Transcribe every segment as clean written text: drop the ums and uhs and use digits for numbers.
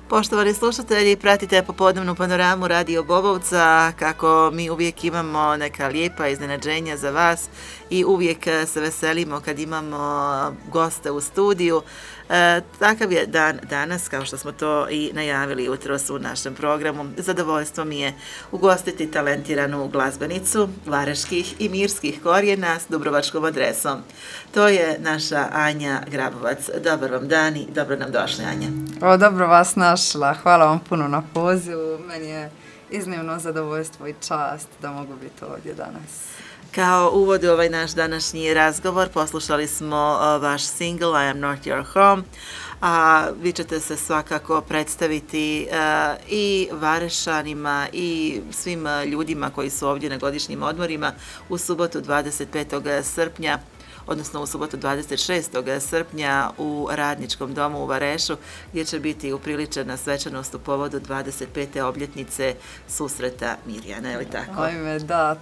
Poštovani slušatelji, pratite popodnevnu panoramu Radio Bobovca, kako mi uvijek imamo neka lijepa iznenađenja za vas i uvijek se veselimo kad imamo goste u studiju. Takav je dan danas, kao što smo to i najavili jutros u našem programu. Zadovoljstvo mi je ugostiti talentiranu glazbenicu vareških i mirskih korijena s dubrovačkom adresom. To je naša Anja Grabovac. Dobar vam dan i dobro nam došli, Anja. Dobro vas našla. Hvala vam puno na pozivu. Meni je iznimno zadovoljstvo i čast da mogu biti ovdje danas. Kao uvod u ovaj naš današnji razgovor poslušali smo vaš single I am not your home, a vi ćete se svakako predstaviti i Varešanima i svim ljudima koji su ovdje na godišnjim odmorima u subotu 25. srpnja, odnosno u subotu 26. srpnja u Radničkom domu u Varešu, gdje će biti upriličena svečanost u povodu 25. obljetnice susreta Mirjana, je li tako? Ajme, da,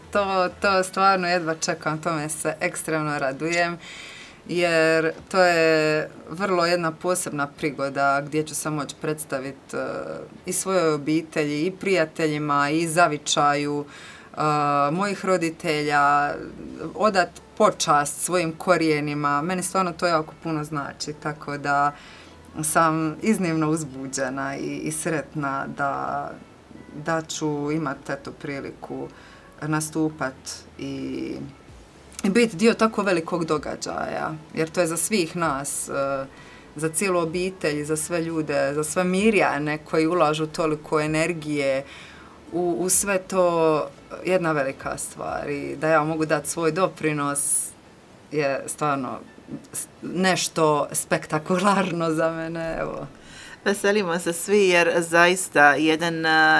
to stvarno jedva čekam, tome se ekstremno radujem, jer to je vrlo jedna posebna prigoda gdje ću se moći predstaviti i svojoj obitelji, i prijateljima, i zavičaju mojih roditelja, odat počast svojim korijenima. Meni stvarno to jako puno znači, tako da sam iznimno uzbuđena i sretna da ću imati eto priliku nastupat i biti dio tako velikog događaja, jer to je za svih nas, za cijelu obitelj, za sve ljude, za sve Mirjane koji ulažu toliko energije u sve to, jedna velika stvar, i da ja mogu dati svoj doprinos je stvarno nešto spektakularno za mene. Evo. Veselimo se svi jer zaista jedan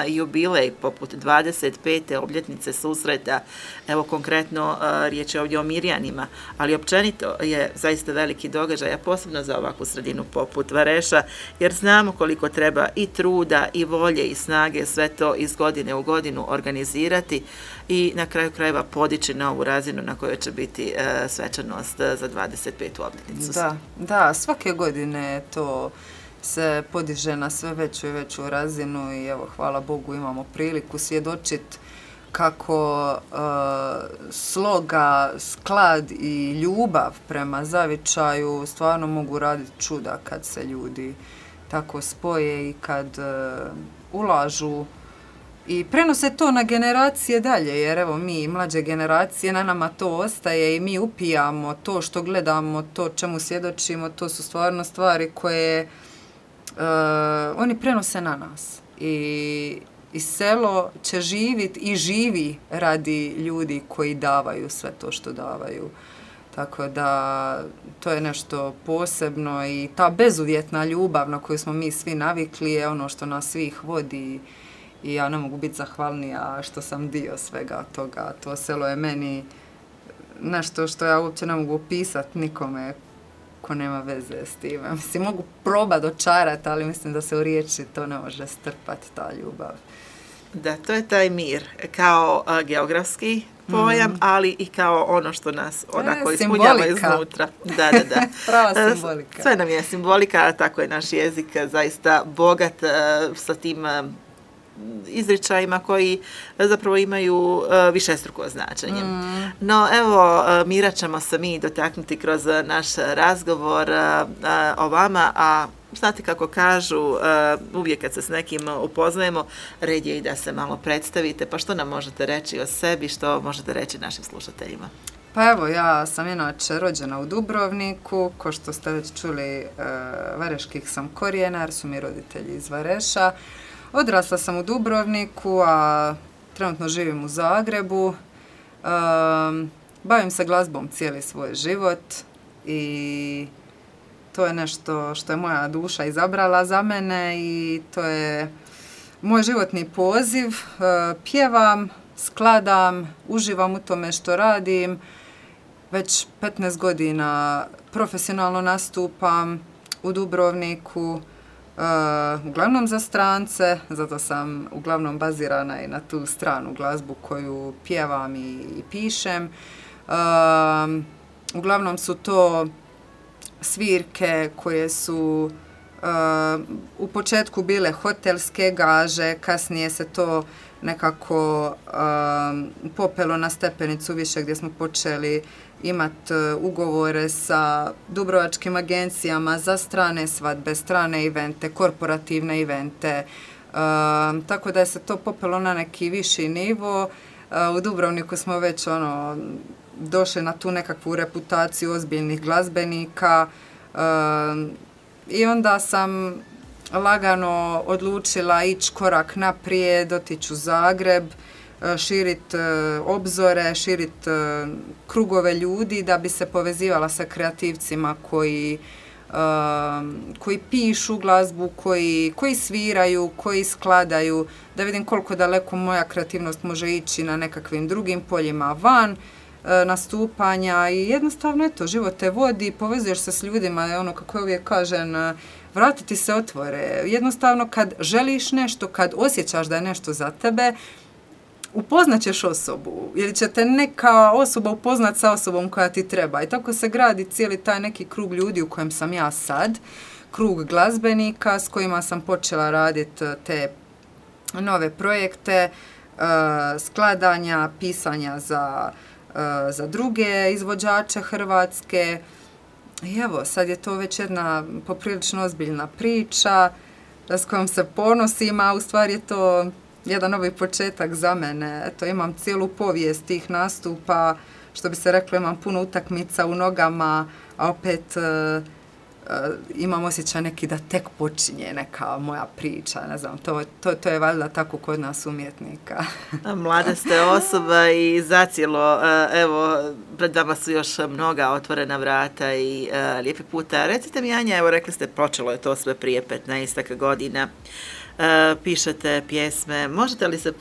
jubilej poput 25. obljetnice susreta, evo konkretno riječ je ovdje o Mirjanima, ali općenito je zaista veliki događaj, a posebno za ovakvu sredinu poput Vareša, jer znamo koliko treba i truda i volje i snage sve to iz godine u godinu organizirati i na kraju krajeva podići na ovu razinu na kojoj će biti svečanost za 25. obljetnicu. Da, svake godine to se podiže na sve veću i veću razinu i evo, hvala Bogu, imamo priliku svjedočiti kako sloga, sklad i ljubav prema zavičaju stvarno mogu raditi čuda kad se ljudi tako spoje i kad ulažu i prenose to na generacije dalje, jer evo mi, mlađe generacije, na nama to ostaje i mi upijamo to što gledamo, to čemu svjedočimo, to su stvarno stvari koje oni prenose na nas i selo će živjeti i živi radi ljudi koji davaju sve to što davaju. Tako da to je nešto posebno i ta bezuvjetna ljubav na koju smo mi svi navikli je ono što nas svih vodi i ja ne mogu biti zahvalnija što sam dio svega toga. To selo je meni nešto što ja uopće ne mogu opisati nikome ko nema veze s time. Mislim, mogu probati dočarati, ali mislim da se u riječi to ne može strpati, ta ljubav. Da, to je taj mir, kao geografski pojam, ali i kao ono što nas onako ispunjava iznutra. Da. Prava simbolika. Sve nam je simbolika, a tako je naš jezik zaista bogat sa tim izričajima koji zapravo imaju višestruko značenje. No evo, mira ćemo se mi dotaknuti kroz naš razgovor o vama, a znate kako kažu, uvijek kad se s nekim upoznajemo, red je i da se malo predstavite, pa što nam možete reći o sebi, što možete reći našim slušateljima? Pa evo, ja sam inače rođena u Dubrovniku, ko što ste već čuli, vareških sam korijena, jer su mi roditelji iz Vareša. Odrasla sam u Dubrovniku, a trenutno živim u Zagrebu. Bavim se glazbom cijeli svoj život i to je nešto što je moja duša izabrala za mene i to je moj životni poziv. Pjevam, skladam, uživam u tome što radim. Već 15 godina profesionalno nastupam u Dubrovniku. Uglavnom za strance, zato sam uglavnom bazirana i na tu stranu glazbu koju pjevam i pišem. Uglavnom su to svirke koje su u početku bile hotelske gaže, kasnije se to nekako popelo na stepenicu više gdje smo počeli imati ugovore sa dubrovačkim agencijama za strane svadbe, strane evente, korporativne evente, tako da je se to popelo na neki viši nivo. U Dubrovniku smo već došli na tu nekakvu reputaciju ozbiljnih glazbenika i onda sam lagano odlučila ići korak naprijed, otići u Zagreb, širiti obzore, širiti krugove ljudi da bi se povezivala sa kreativcima koji pišu glazbu, koji sviraju, koji skladaju, da vidim koliko daleko moja kreativnost može ići na nekakvim drugim poljima van nastupanja i jednostavno eto, život te vodi, povezuješ se s ljudima, kako uvijek kažem, vratiti se otvore. Jednostavno kad želiš nešto, kad osjećaš da je nešto za tebe, upoznaćeš osobu ili će te neka osoba upoznat sa osobom koja ti treba i tako se gradi cijeli taj neki krug ljudi u kojem sam ja sad, krug glazbenika s kojima sam počela raditi te nove projekte, skladanja, pisanja za druge izvođače hrvatske. I evo, sad je to već jedna poprilično ozbiljna priča s kojom se ponosim, a u stvari je to jedan novi početak za mene. Eto, imam cijelu povijest tih nastupa, što bi se reklo, imam puno utakmica u nogama, a opet imam osjećaj neki da tek počinje neka moja priča, ne znam, to je valjda tako kod nas umjetnika. Mlada ste osoba i zacijelo, evo, pred vama su još mnoga otvorena vrata i lijepi puta. Recite mi, Anja, evo rekli ste, počelo je to sve prije 15 godina. Pišete pjesme, možete li se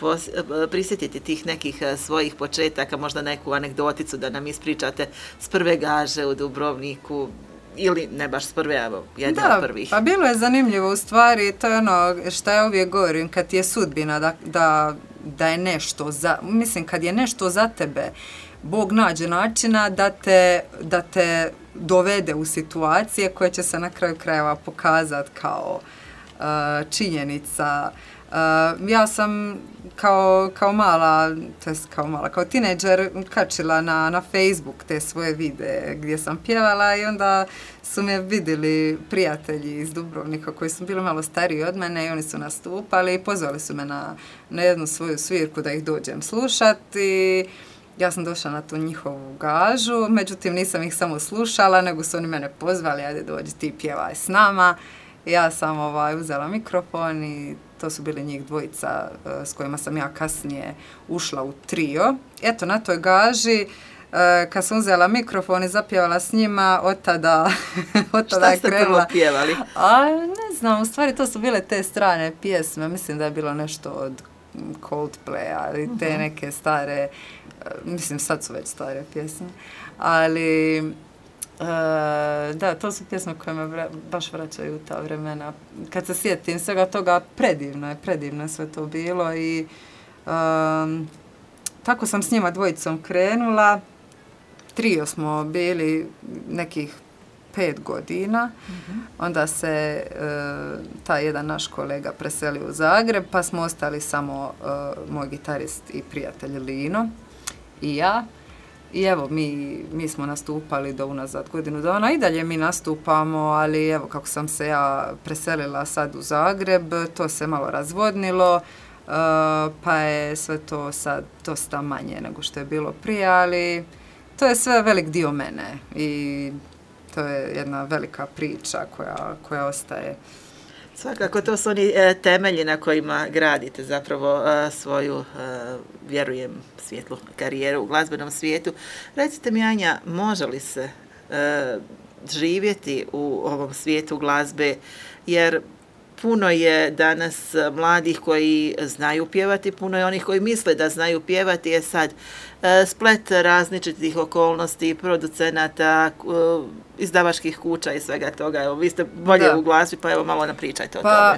prisjetiti tih nekih svojih početaka, možda neku anegdoticu da nam ispričate s prve gaže u Dubrovniku ili ne baš s prve, evo, jedna od prvih? Pa bilo je zanimljivo u stvari, to je što ja uvijek govorim, kad ti je sudbina da je nešto mislim kad je nešto za tebe, Bog nađe načina da te dovede u situacije koje će se na kraju krajeva pokazati kao činjenica. Ja sam kao tinejdžer kačila na Facebook te svoje videe gdje sam pjevala i onda su me vidjeli prijatelji iz Dubrovnika koji su bili malo stariji od mene i oni su nastupali i pozvali su me na jednu svoju svirku da ih dođem slušati. Ja sam došla na tu njihovu gažu, međutim nisam ih samo slušala, nego su oni mene pozvali, ajde dođi ti pjevaj s nama. Ja sam uzela mikrofon i to su bili njih dvojica s kojima sam ja kasnije ušla u trio. Eto, na toj gaži, kad sam uzela mikrofon i zapjevala s njima, od tada je krenula. Šta ste prvo pjevali? Ne znam, u stvari to su bile te strane pjesme. Mislim da je bilo nešto od Coldplaya ili te neke stare, mislim sad su već stare pjesme, ali da, to su pjesme koje me baš vraćaju u ta vremena. Kad se sjetim svega toga, predivno je sve to bilo i tako sam s njima dvojicom krenula. Trio smo bili nekih 5 godina. Onda se taj jedan naš kolega preselio u Zagreb, pa smo ostali samo moj gitarist i prijatelj Lino i ja. I evo, mi smo nastupali do unazad godinu dana i dalje mi nastupamo, ali evo kako sam se ja preselila sad u Zagreb, to se malo razvodnilo, pa je sve to sad dosta manje nego što je bilo prije, ali to je sve velik dio mene i to je jedna velika priča koja ostaje. Svakako, to su oni temelji na kojima gradite zapravo svoju, vjerujem, svijetlu karijeru u glazbenom svijetu. Recite mi, Anja, može li se živjeti u ovom svijetu glazbe, jer puno je danas mladih koji znaju pjevati, puno je onih koji misle da znaju pjevati, je sad splet različitih okolnosti, producenata, izdavačkih kuća i svega toga. Evo, vi ste bolje u glazbi, pa evo malo nam pričajte o tome. Pa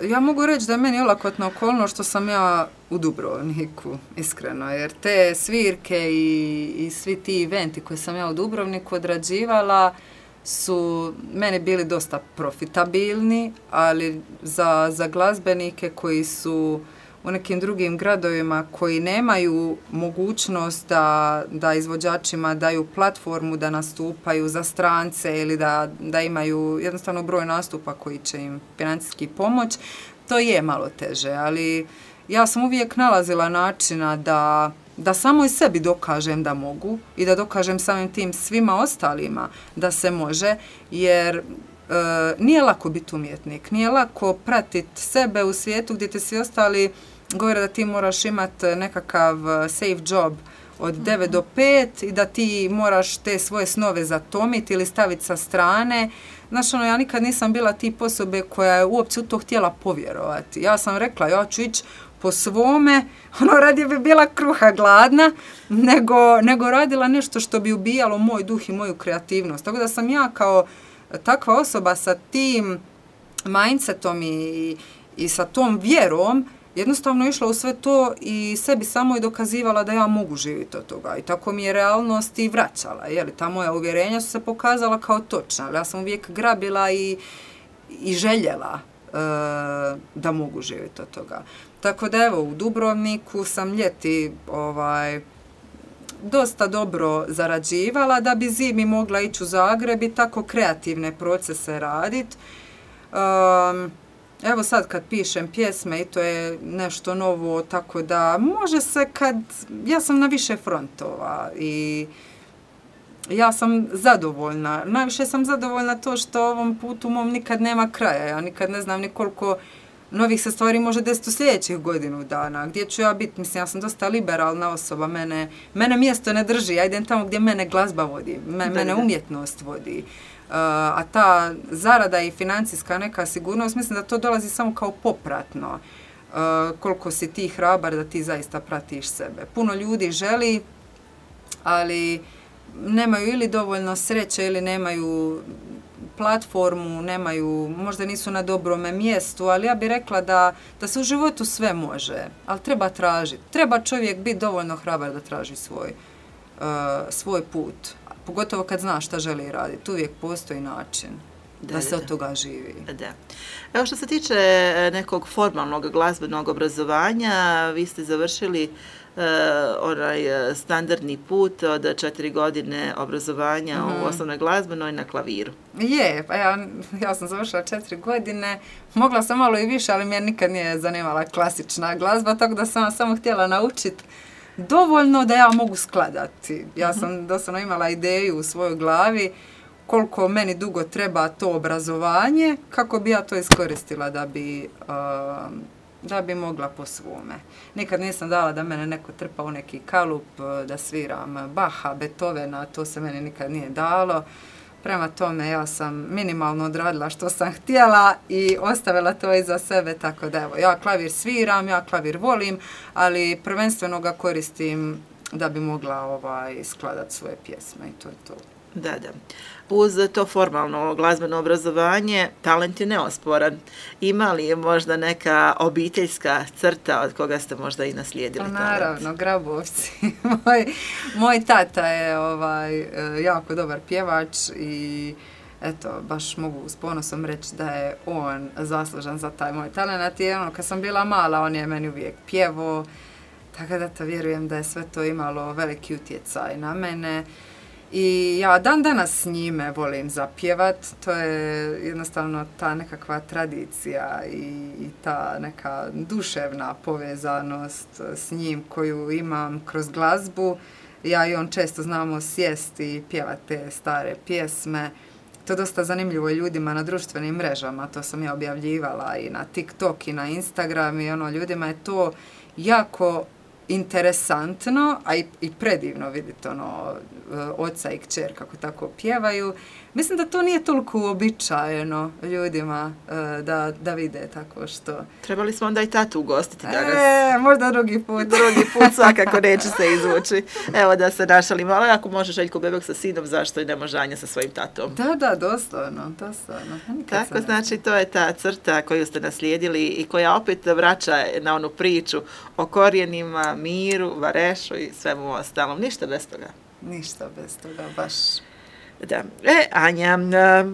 ja mogu reći da je meni olakotna okolnost što sam ja u Dubrovniku, iskreno, jer te svirke i svi ti eventi koje sam ja u Dubrovniku odrađivala, su meni bili dosta profitabilni, ali za glazbenike koji su u nekim drugim gradovima koji nemaju mogućnost da izvođačima daju platformu da nastupaju za strance ili da imaju jednostavno broj nastupa koji će im financijski pomoć, to je malo teže, ali ja sam uvijek nalazila načina da samo i sebi dokažem da mogu i da dokažem samim tim svima ostalima da se može, jer nije lako biti umjetnik, nije lako pratiti sebe u svijetu gdje te svi ostali govore da ti moraš imati nekakav safe job od 9 do 5 i da ti moraš te svoje snove zatomiti ili staviti sa strane. Znaš, ja nikad nisam bila tip osobe koja je uopće u to htjela povjerovati. Ja sam rekla, ja ću ići po svome, radije bi bila kruha gladna, nego radila nešto što bi ubijalo moj duh i moju kreativnost. Tako da sam ja kao takva osoba sa tim mindsetom i sa tom vjerom jednostavno išla u sve to i sebi samo i dokazivala da ja mogu živjeti od toga. I tako mi je realnost i vraćala. Ta moja uvjerenja su se pokazala kao točna. Ja sam uvijek grabila i željela da mogu živjeti od toga. Tako da evo, u Dubrovniku sam ljeti dosta dobro zarađivala da bi zimi mogla ići u Zagreb i tako kreativne procese raditi. Evo sad kad pišem pjesme i to je nešto novo, tako da može se ja sam na više frontova i ja sam zadovoljna. Najviše sam zadovoljna to što ovom putu mom nikad nema kraja. Ja nikad ne znam ni koliko novih se stvari može desiti u sljedećih godinu dana. Gdje ću ja biti? Mislim, ja sam dosta liberalna osoba. Mene mjesto ne drži. Ja idem tamo gdje mene glazba vodi. Mene umjetnost vodi. A ta zarada i financijska neka sigurnost, mislim da to dolazi samo kao popratno. Koliko si ti hrabar da ti zaista pratiš sebe. Puno ljudi želi, ali nemaju ili dovoljno sreće ili nemaju platformu, možda nisu na dobrome mjestu, ali ja bih rekla da se u životu sve može, ali treba tražiti. Treba čovjek biti dovoljno hrabar da traži svoj put. Pogotovo kad zna šta želi raditi. Uvijek postoji način da se od toga živi. Da. Evo što se tiče nekog formalnog glazbenog obrazovanja, vi ste završili onaj standardni put od 4 godine obrazovanja u osnovnoj glazbenoj na klaviru. Pa ja sam završila 4 godine, mogla sam malo i više, ali me nikad nije zanimala klasična glazba, tako da sam samo htjela naučiti dovoljno da ja mogu skladati. Ja sam doslovno imala ideju u svojoj glavi koliko meni dugo treba to obrazovanje, kako bi ja to iskoristila da bi mogla po svome. Nikad nisam dala da mene neko trpa u neki kalup, da sviram Baha, Beethovena, to se meni nikad nije dalo. Prema tome, ja sam minimalno odradila što sam htjela i ostavila to iza sebe, tako da evo, ja klavir sviram, ja klavir volim, ali prvenstveno ga koristim da bi mogla skladati svoje pjesme i to je to. Da. Uz to formalno glazbeno obrazovanje, talent je neosporan. Ima li je možda neka obiteljska crta od koga ste možda i naslijedili talent? Naravno, Grabovci. Moj tata je jako dobar pjevač i eto, baš mogu s ponosom reći da je on zaslužan za taj moj talent. I kad sam bila mala, on je meni uvijek pjevao, tako da to vjerujem da je sve to imalo veliki utjecaj na mene. I ja dan danas s njime volim zapjevat, to je jednostavno ta nekakva tradicija i ta neka duševna povezanost s njim koju imam kroz glazbu. Ja i on često znamo sjesti i pjevati te stare pjesme. To je dosta zanimljivo i ljudima na društvenim mrežama, to sam ja objavljivala i na TikTok i na Instagram i ljudima je to jako interesantno, a i predivno vidjeti oca i kćer kako tako pjevaju. Mislim da to nije toliko uobičajeno ljudima da vide tako što. Trebali smo onda i tatu ugostiti danas. Možda drugi put. Drugi put svakako neće se izvući. Evo da se našalimo, ali ako može Željko Bebek sa sinom, zašto i ne može Anja sa svojim tatom? Da, doslovno. Tako, znači to je ta crta koju ste naslijedili i koja opet vraća na onu priču o korijenima, miru, varešu i svemu ostalom. Ništa bez toga. Ništa bez toga, baš. Da. Anja,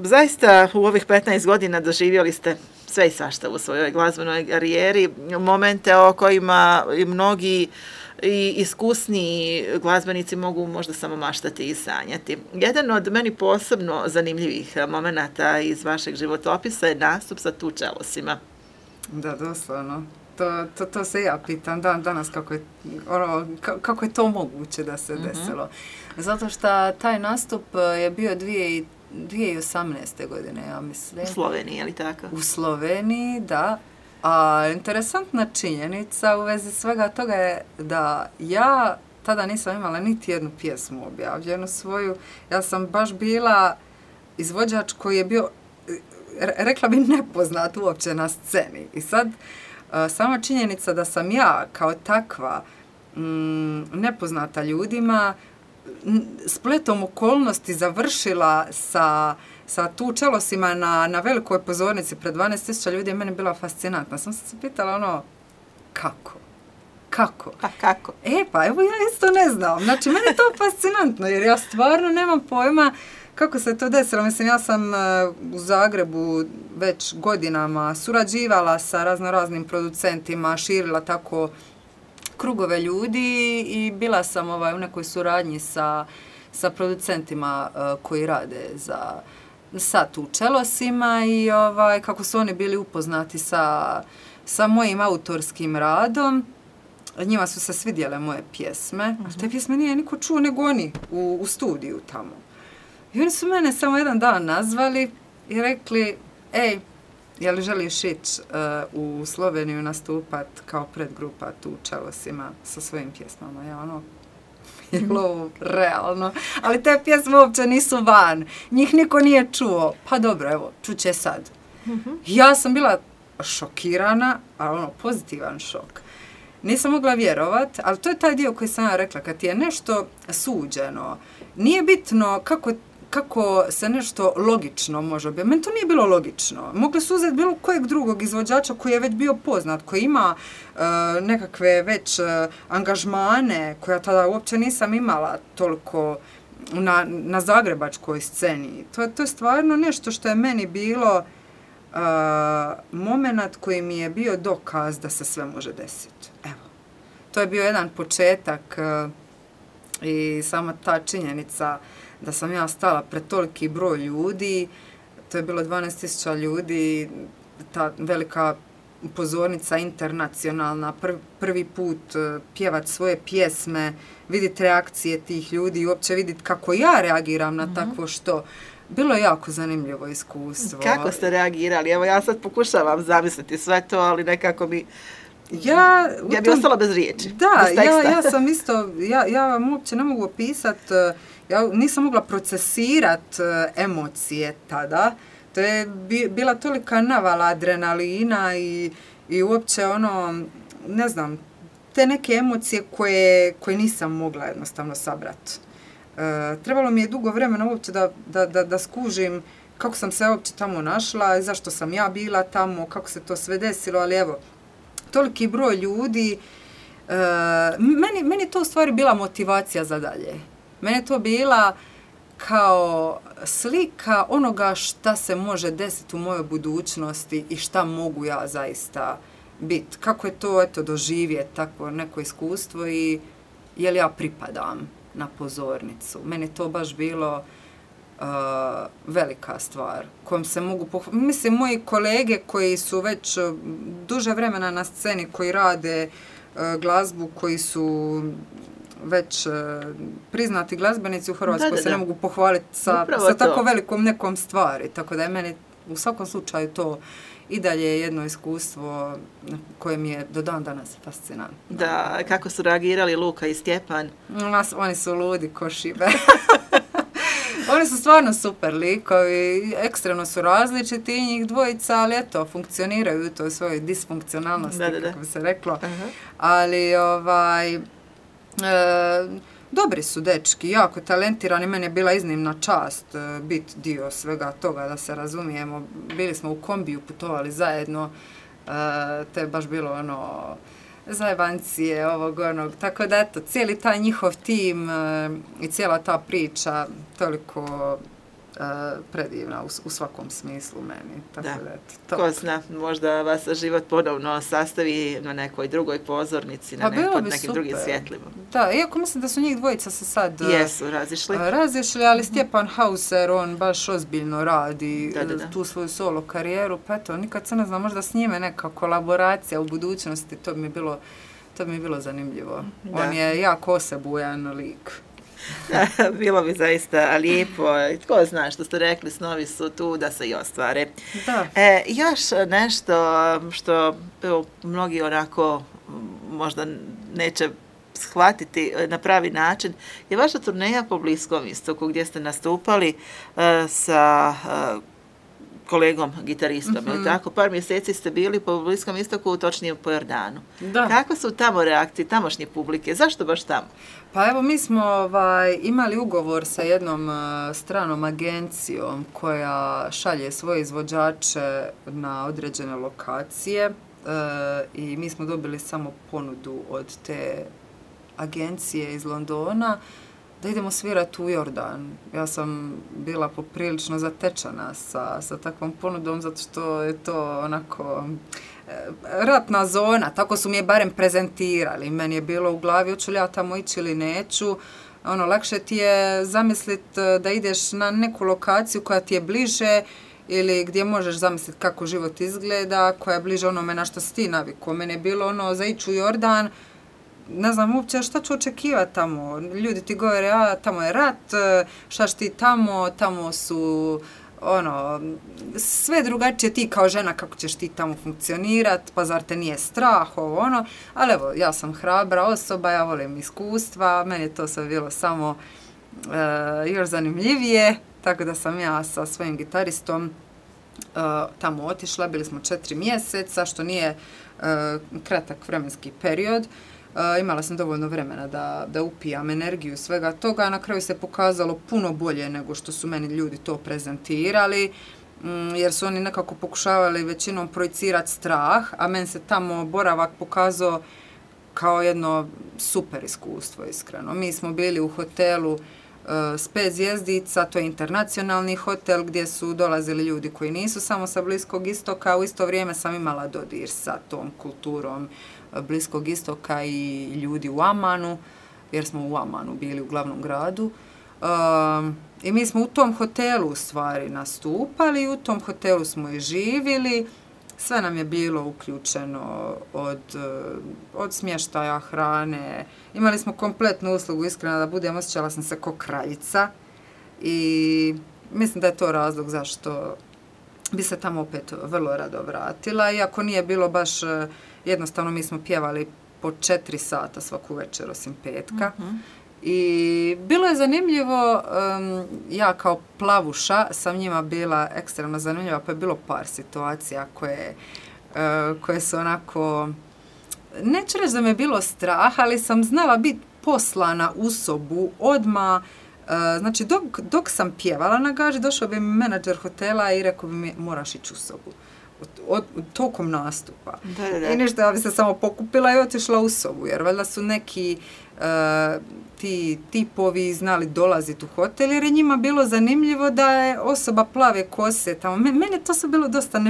zaista u ovih 15 godina doživjeli ste sve i svašta u svojoj glazbenoj karijeri, momente o kojima i mnogi i iskusni glazbenici mogu možda samo maštati i sanjati. Jedan od meni posebno zanimljivih momenata iz vašeg životopisa je nastup sa Tu čelosima. Da, doslovno. To se ja pitam danas kako je to moguće da se desilo. Zato što taj nastup je bio 2018. godine, ja mislim. U Sloveniji, je li tako? U Sloveniji, da. A interesantna činjenica u vezi svega toga je da ja tada nisam imala niti jednu pjesmu objavljenu svoju. Ja sam baš bila izvođač koji je bio, rekla bi, nepoznat uopće na sceni. I sad, sama činjenica da sam ja kao takva nepoznata ljudima spletom okolnosti završila sa Tu čelosima na velikoj pozornici pred 12.000 ljudi je meni bila fascinantna. Sam se pitala kako? Pa kako? Pa evo ja isto ne znam. Znači, meni je to fascinantno jer ja stvarno nemam pojma kako se to desilo. Mislim, ja sam u Zagrebu već godinama surađivala sa raznoraznim producentima, širila tako krugove ljudi i bila sam u nekoj suradnji sa producentima koji rade sa Tu čelosima i kako su oni bili upoznati sa mojim autorskim radom. Njima su se svidjele moje pjesme. Te pjesme nije niko čuo nego oni u studiju tamo. I oni su mene samo jedan dan nazvali i rekli, je li želiš ići u Sloveniju nastupat kao predgrupa Tu čelosima sa svojim pjesmama? Ja je ovo realno. Ali te pjesme uopće nisu van. Njih niko nije čuo. Pa dobro, evo, čuće sad. Ja sam bila šokirana, ali pozitivan šok. Nisam mogla vjerovat, ali to je taj dio koji sam ja rekla. Kad ti je nešto suđeno, nije bitno kako se nešto logično može objaviti. Meni to nije bilo logično. Mogli su uzeti bilo kojeg drugog izvođača koji je već bio poznat, koji ima nekakve već angažmane koje ja tada uopće nisam imala toliko na zagrebačkoj sceni. To je stvarno nešto što je meni bilo moment koji mi je bio dokaz da se sve može desiti. Evo. To je bio jedan početak i sama ta činjenica da sam ja stala pred toliki broj ljudi, to je bilo 12.000 ljudi, ta velika pozornica internacionalna, prvi put pjevat svoje pjesme, vidjeti reakcije tih ljudi i uopće vidjeti kako ja reagiram na takvo što. Bilo je jako zanimljivo iskustvo. Kako ste reagirali? Evo ja sad pokušavam zamisliti sve to, ali nekako mi... Ja bi ostala bez riječi. Da, ja sam isto, ja vam uopće ne mogu opisati, ja nisam mogla procesirati emocije tada. To je bila tolika navala adrenalina i uopće ne znam, te neke emocije koje nisam mogla jednostavno sabrati. Trebalo mi je dugo vremena uopće da skužim kako sam se uopće tamo našla i zašto sam ja bila tamo, kako se to sve desilo, ali evo, toliki broj ljudi, meni je to u stvari bila motivacija za dalje. Meni je to bila kao slika onoga šta se može desiti u mojoj budućnosti i šta mogu ja zaista biti. Kako je to, doživjeti takvo neko iskustvo i je li ja pripadam na pozornicu. Meni je to baš bilo velika stvar kojom se mogu pohvaliti. Mislim, moji kolege koji su već duže vremena na sceni, koji rade glazbu, koji su već priznati glazbenici u Hrvatskoj, se ne mogu pohvaliti sa tako velikom nekom stvari. Tako da je meni u svakom slučaju to i dalje jedno iskustvo koje mi je do dan danas fascinantno. Da, kako su reagirali Luka i Stjepan? Oni su ludi ko šibe. Oni su stvarno super likovi, ekstremno su različiti i njih dvojica, ali eto, funkcioniraju u toj svojoj disfunkcionalnosti, kako bi se reklo. Ali, dobri su dečki, jako talentirani, meni je bila iznimna čast biti dio svega toga, da se razumijemo. Bili smo u kombiju, putovali zajedno, to je baš bilo zajebancije ovog onog, tako da eto, cijeli taj njihov tim i cijela ta priča toliko predivna u svakom smislu meni. Tako da, eto, ko zna, možda vas život ponovno sastavi na nekoj drugoj pozornici, pod nekim drugim svjetlima. Da, iako mislim da su njih dvojica se sad razišli, ali Stjepan Hauser, on baš ozbiljno radi tu svoju solo karijeru, pa eto, nikad se ne znam, možda s njime neka kolaboracija u budućnosti, to bi mi bilo zanimljivo. Da. On je jako osebujan lik. Bilo bi zaista lijepo. Tko zna, što ste rekli, snovi su tu da se i ostvare. Da. Još nešto što mnogi onako možda neće shvatiti na pravi način je vaša turneja po Bliskom istoku gdje ste nastupali sa kolegom gitaristom, ili tako? Par mjeseci ste bili po Bliskom istoku, točnije po Jordanu. Da. Kakve su tamo reakcije, tamošnje publike? Zašto baš tamo? Pa evo, mi smo imali ugovor sa jednom stranom agencijom koja šalje svoje izvođače na određene lokacije i mi smo dobili samo ponudu od te agencije iz Londona da idemo svirati u Jordan. Ja sam bila poprilično zatečena sa takvom ponudom, zato što je to onako ratna zona, tako su mi je barem prezentirali. Meni je bilo u glavi, hoću li ja tamo ići ili neću. Lakše ti je zamisliti da ideš na neku lokaciju koja ti je bliže ili gdje možeš zamisliti kako život izgleda, koja je bliže onome na što si ti navikao. Meni je bilo za ići u Jordan, ne znam uopće šta ću očekivati tamo. Ljudi ti govore, tamo je rat, šta ćeš ti tamo su sve drugačije, ti kao žena kako ćeš ti tamo funkcionirati, pa zar te nije strah, ali evo, ja sam hrabra osoba, ja volim iskustva, meni je to sve bilo samo još zanimljivije, tako da sam ja sa svojim gitaristom tamo otišla, bili smo 4 mjeseca, što nije kratak vremenski period. Imala sam dovoljno vremena da upijam energiju svega toga, a na kraju se pokazalo puno bolje nego što su meni ljudi to prezentirali, jer su oni nekako pokušavali većinom projicirati strah, a meni se tamo boravak pokazao kao jedno super iskustvo, iskreno. Mi smo bili u hotelu s 5 zvjezdica, to je internacionalni hotel gdje su dolazili ljudi koji nisu samo sa Bliskog istoka, u isto vrijeme sam imala dodir sa tom kulturom Bliskog istoka i ljudi u Amanu, jer smo u Amanu bili u glavnom gradu. I mi smo u tom hotelu u stvari nastupali, u tom hotelu smo i živjeli, sve nam je bilo uključeno od smještaja, hrane, imali smo kompletnu uslugu, iskreno da budem, osjećala sam se ko kraljica i mislim da je to razlog zašto bi se tamo opet vrlo rado vratila, iako nije bilo baš jednostavno, mi smo pjevali po 4 sata svaku večer osim petka. I bilo je zanimljivo, ja kao plavuša sam njima bila ekstremno zanimljiva, pa je bilo par situacija koje su onako, neću reći da me je bilo strah, ali sam znala biti poslana u sobu odmah. Znači, dok sam pjevala na gaži, došao bi mi menadžer hotela i rekao bi mi, moraš ići u sobu. Tokom nastupa. Da. I ništa, ja bi se samo pokupila i otišla u sobu, jer valjda su neki ti tipovi znali dolaziti u hotel, jer je njima bilo zanimljivo da je osoba plave kose tamo. Mene to se bilo dosta,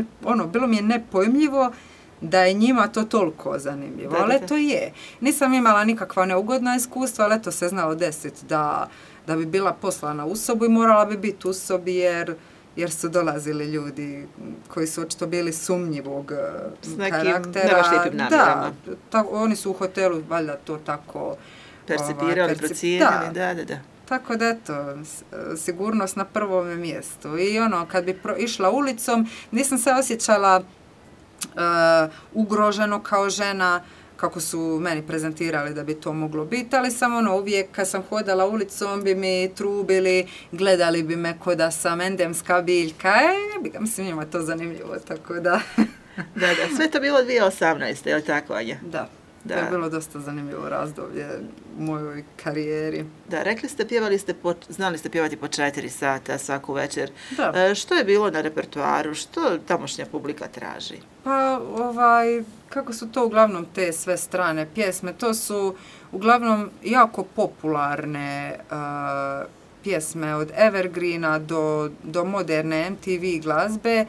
bilo mi je nepojmljivo da je njima to toliko zanimljivo, ali to je. Nisam imala nikakva neugodna iskustva, ali to se znalo desiti da bi bila poslana u sobu i morala bi biti u sobi, jer su dolazili ljudi koji su očito bili sumnjivog karaktera. Ne baš lijepim namjerama. Da, oni su u hotelu valjda to tako percipirali, procijenili, da. Tako da eto, sigurnost na prvom mjestu. I kad bi išla ulicom, nisam se osjećala ugroženo kao žena, kako su meni prezentirali da bi to moglo biti, ali sam uvijek kad sam hodala ulicom bi mi trubili, gledali bi me ko da sam endemska biljka, mislim njima to zanimljivo, tako da. Da, sve to bilo 2018. je li tako, Anja? Da. To je bilo dosta zanimljivo razdoblje u mojoj karijeri. Da, rekli ste, znali ste pjevati po 4 sata svaku večer. Da. Što je bilo na repertoaru? Što tamošnja publika traži? Pa, kako su to uglavnom te sve strane pjesme? To su uglavnom jako popularne pjesme od evergreena do moderne MTV glazbe.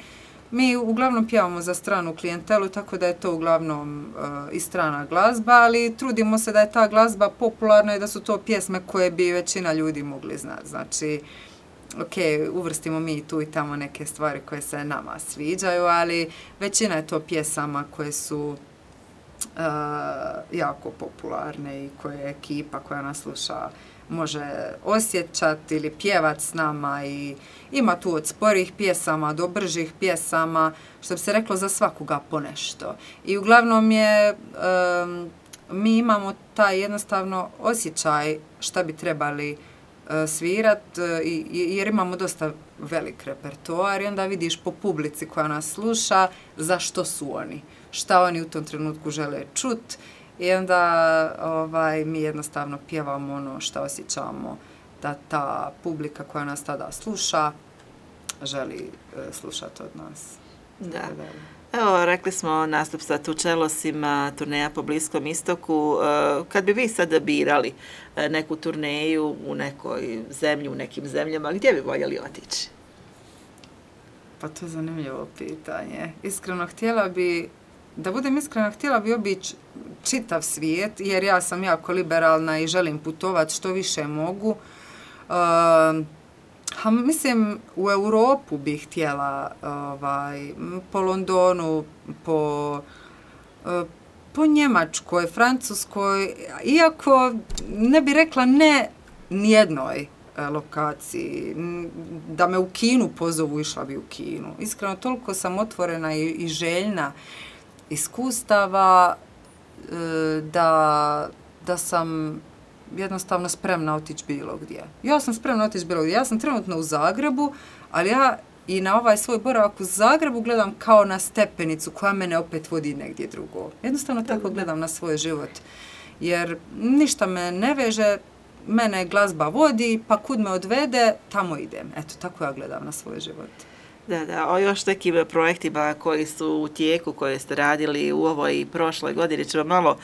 Mi uglavnom pjevamo za stranu klijentelu, tako da je to uglavnom i strana glazba, ali trudimo se da je ta glazba popularna i da su to pjesme koje bi većina ljudi mogli znati. Znači, ok, uvrstimo mi tu i tamo neke stvari koje se nama sviđaju, ali većina je to pjesama koje su jako popularne i koje ekipa koja nas sluša može osjećati ili pjevati s nama i ima tu od sporih pjesama do bržih pjesama, što bi se reklo za svakoga ponešto. I uglavnom mi imamo taj jednostavno osjećaj šta bi trebali svirat, jer imamo dosta velik repertoar i onda vidiš po publici koja nas sluša zašto su oni, šta oni u tom trenutku žele čut i onda mi jednostavno pjevamo ono što osjećamo da ta publika koja nas tada sluša želi slušati od nas. Da. Evo, rekli smo nastup sa Tučelosima, turneja po Bliskom istoku. Kad bi vi sada birali neku turneju u nekoj zemlji, u nekim zemljama, gdje bi voljeli otići? Pa to je zanimljivo pitanje. Iskreno da budem iskrena, htjela bi obići čitav svijet, jer ja sam jako liberalna i želim putovati što više mogu. Mislim, u Europu bih htjela, po Londonu, po Njemačkoj, Francuskoj, iako ne bi rekla ne nijednoj lokaciji. Da me u Kinu pozovu, išla bi u Kinu. Iskreno, toliko sam otvorena i željna iskustava da sam jednostavno spremna otići bilo gdje. Ja sam spremna otići bilo gdje. Ja sam trenutno u Zagrebu, ali ja i na ovaj svoj boravak u Zagrebu gledam kao na stepenicu koja mene opet vodi negdje drugo. Jednostavno tako gledam na svoj život. Jer ništa me ne veže, mene glazba vodi, pa kud me odvede, tamo idem. Eto, tako ja gledam na svoj život. Da, o još nekim projektima koji su u tijeku, koje ste radili u ovoj i prošloj godini, ćemo malo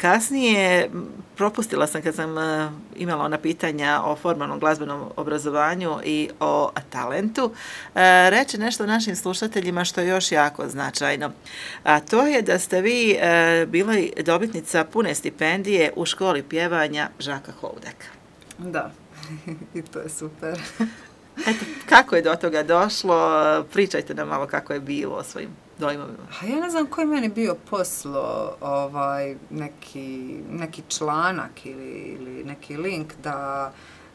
kasnije. Propustila sam kad sam imala ona pitanja o formalnom glazbenom obrazovanju i o talentu. Reći nešto našim slušateljima što je još jako značajno. A to je da ste vi bili dobitnica pune stipendije u školi pjevanja Žaka Houdeka. Da, i to je super. Eto, kako je do toga došlo? Pričajte nam malo kako je bilo o svojim dojmovima. Ja ne znam koji je meni bio poslo neki članak ili neki link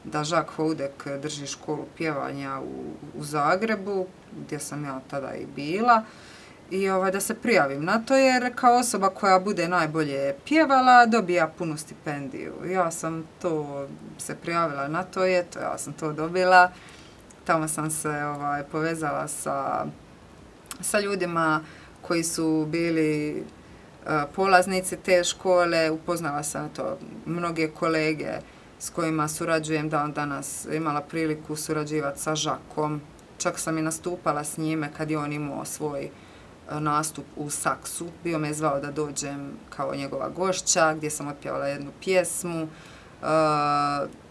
da Žak Houdek drži školu pjevanja u Zagrebu, gdje sam ja tada i bila. I da se prijavim na to, jer kao osoba koja bude najbolje pjevala dobija punu stipendiju. Ja sam se prijavila na to i eto, ja sam to dobila. Tamo sam se povezala sa ljudima koji su bili polaznici te škole. Upoznala sam mnoge kolege s kojima surađujem dan danas. Imala priliku surađivati sa Žakom. Čak sam i nastupala s njime kad je on imao svoj nastup u Saksu. Bio me zvao da dođem kao njegova gošća, gdje sam otpjevala jednu pjesmu.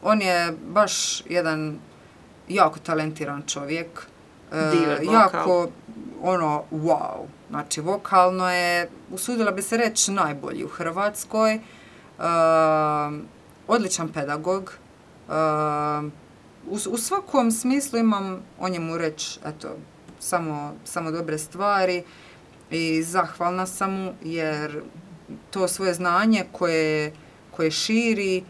On je baš jedan jako talentiran čovjek. Jako, wow. Znači, vokalno je, usudila bi se reći, najbolji u Hrvatskoj. Odličan pedagog. U svakom smislu imam o njemu reći, eto, samo dobre stvari i zahvalna sam mu, jer to svoje znanje koje širi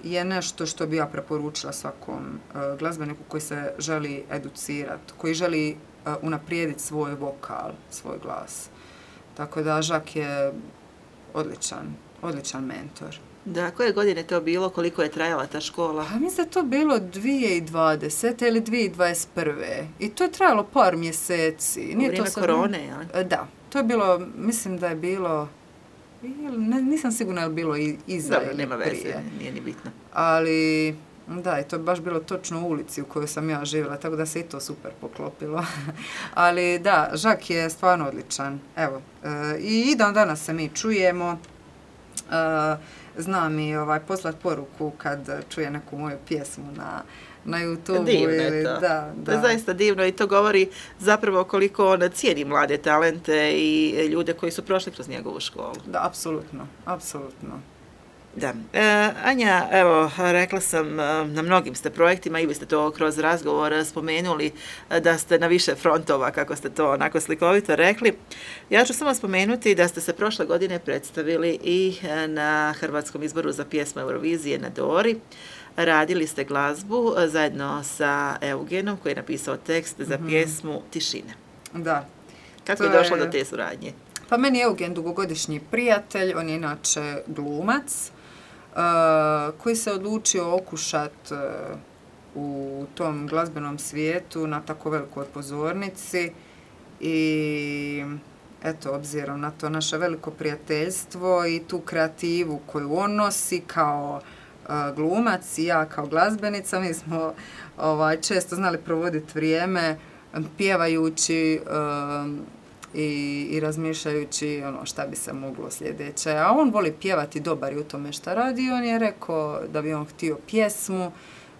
je nešto što bi ja preporučila svakom glazbeniku koji se želi educirati, koji želi unaprijediti svoj vokal, svoj glas. Tako da Žak je odličan mentor. Da, koje godine to bilo, koliko je trajala ta škola? Mislim da je to bilo 2020. ili 2021. I to je trajalo par mjeseci. U vrijeme korone, jel? Da, to je bilo, mislim da je bilo, nisam sigurna je li bilo iza ili prije. Nema veze, nije ni bitno. Ali, da, i to je baš bilo točno u ulici u kojoj sam ja živjela, tako da se i to super poklopilo. Ali da, Žak je stvarno odličan. Evo, i dan danas se mi čujemo. zna mi poslat poruku kad čuje neku moju pjesmu na YouTube. Divno je to. To je zaista divno i to govori zapravo koliko on cijeni mlade talente i ljude koji su prošli kroz njegovu školu. Da, apsolutno, apsolutno. Da. Anja, evo, rekla sam, na mnogim ste projektima i vi ste to kroz razgovor spomenuli da ste na više frontova, kako ste to onako slikovito rekli. Ja ću samo spomenuti da ste se prošle godine predstavili i na Hrvatskom izboru za pjesmu Eurovizije na Dori. Radili ste glazbu zajedno sa Eugenom koji je napisao tekst za pjesmu Tišine. Da. Kako je došlo do te suradnje? Pa meni je Eugen dugogodišnji prijatelj, on je inače glumac koji se odlučio okušati u tom glazbenom svijetu na tako velikoj pozornici i eto, obzirom na to naše veliko prijateljstvo i tu kreativu koju on nosi kao glumac i ja kao glazbenica, mi smo često znali provoditi vrijeme pjevajući i razmišljajući šta bi se moglo sljedeće. A on voli pjevati, dobar je u tome šta radi. On je rekao da bi on htio pjesmu,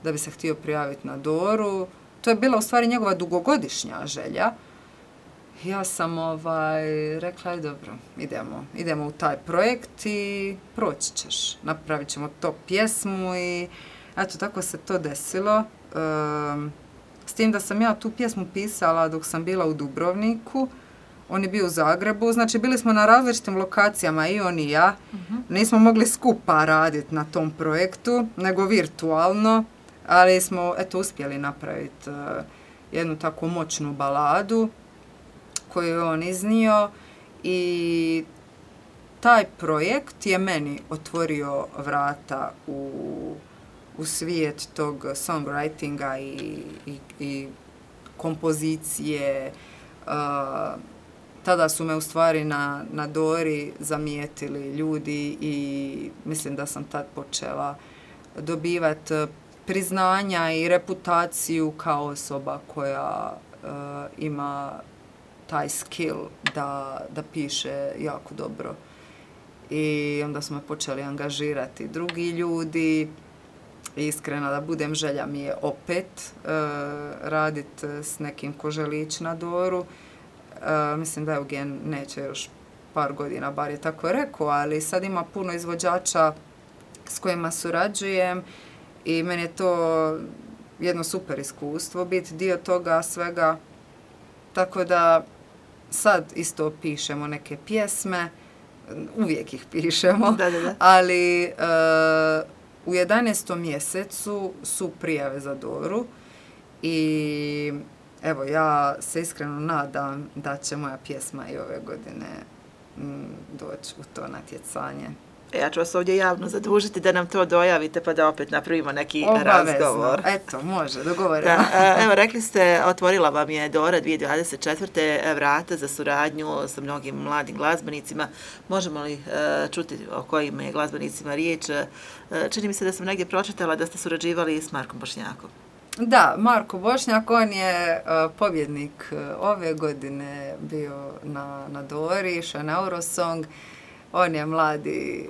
da bi se htio prijaviti na Doru. To je bila u stvari njegova dugogodišnja želja. Ja sam rekla, dobro, idemo u taj projekt i proći ćeš. Napravit ćemo to pjesmu i eto, tako se to desilo. S tim da sam ja tu pjesmu pisala dok sam bila u Dubrovniku. On je bio u Zagrebu, znači bili smo na različitim lokacijama i on i ja. Nismo mogli skupa raditi na tom projektu, nego virtualno, ali smo uspjeli napraviti jednu tako moćnu baladu koju je on iznio i taj projekt je meni otvorio vrata u svijet tog songwritinga i kompozicije. Tada su me u stvari na Dori zamijetili ljudi i mislim da sam tad počela dobivati priznanja i reputaciju kao osoba koja ima taj skill da piše jako dobro. I onda su me počeli angažirati drugi ljudi. Iskreno da budem, želja mi je opet raditi s nekim ko želi ići na Doru. Mislim da Eugen neće još par godina, bar je tako rekao, ali sad ima puno izvođača s kojima surađujem i meni je to jedno super iskustvo biti dio toga svega. Tako da sad isto pišemo neke pjesme, uvijek ih pišemo, ali u 11. mjesecu su prijave za Doru i evo, ja se iskreno nadam da će moja pjesma i ove godine doći u to natjecanje. Ja ću vas ovdje javno zadužiti da nam to dojavite pa da opet napravimo neki razgovor. Eto, može, dogovorimo. Evo, rekli ste, otvorila vam je Dora 2024. vrata za suradnju sa mnogim mladim glazbenicima. Možemo li čuti o kojim je glazbenicima riječ? Čini mi se da sam negdje pročitala da ste surađivali s Markom Bošnjakom. Da, Marko Bošnjak, on je pobjednik ove godine bio na Dori, išao na Eurosong. On je mladi